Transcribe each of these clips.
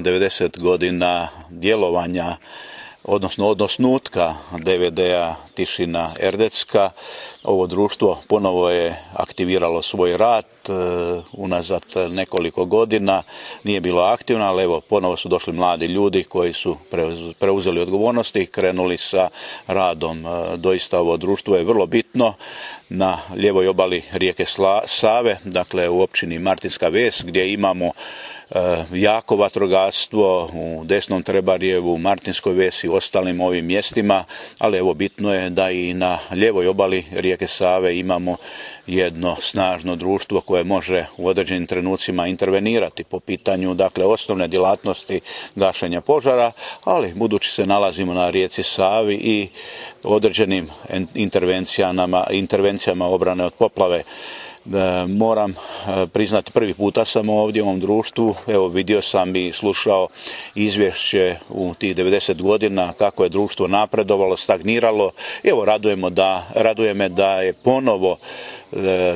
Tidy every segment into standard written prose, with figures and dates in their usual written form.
90 godina djelovanja, odnosno od osnutka DVD-a Tišina Erdecka, ovo društvo ponovo je aktiviralo svoj rad unazad nekoliko godina. Nije bilo aktivno, ali evo, ponovo su došli mladi ljudi koji su preuzeli odgovornosti i krenuli sa radom. Doista ovo društvo je vrlo bitno na lijevoj obali rijeke Save, dakle u općini Martinska Ves, gdje imamo jako vatrogastvo u Desnom Trebarjevu, Martinskoj Vesi i ostalim ovim mjestima, ali evo bitno je da i na lijevoj obali rijeke Save imamo jedno snažno društvo koje može u određenim trenucima intervenirati po pitanju, dakle, osnovne djelatnosti gašenja požara, ali budući se nalazimo na rijeci Savi i određenim intervencijama obrane od poplave. Moram priznati, prvi puta sam ovdje u ovom društvu, evo vidio sam i slušao izvješće u tih 90 godina kako je društvo napredovalo, stagniralo. Evo, raduje me da je ponovo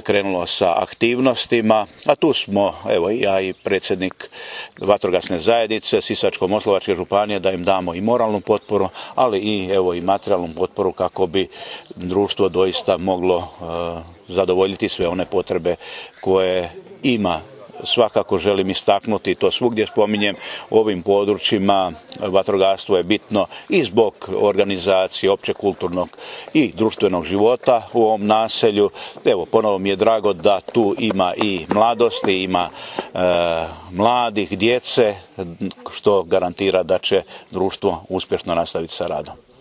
krenulo sa aktivnostima, a tu smo, evo ja i predsjednik vatrogasne zajednice Sisačko-moslavačke županije, da im damo i moralnu potporu, ali i evo i materijalnu potporu kako bi društvo doista moglo zadovoljiti sve one potrebe koje ima. Svakako želim istaknuti, to svugdje spominjem, u ovim područjima vatrogastvo je bitno i zbog organizacije općeg kulturnog i društvenog života u ovom naselju. Evo, ponovo mi je drago da tu ima i mladosti, ima mladih, djece, što garantira da će društvo uspješno nastaviti sa radom.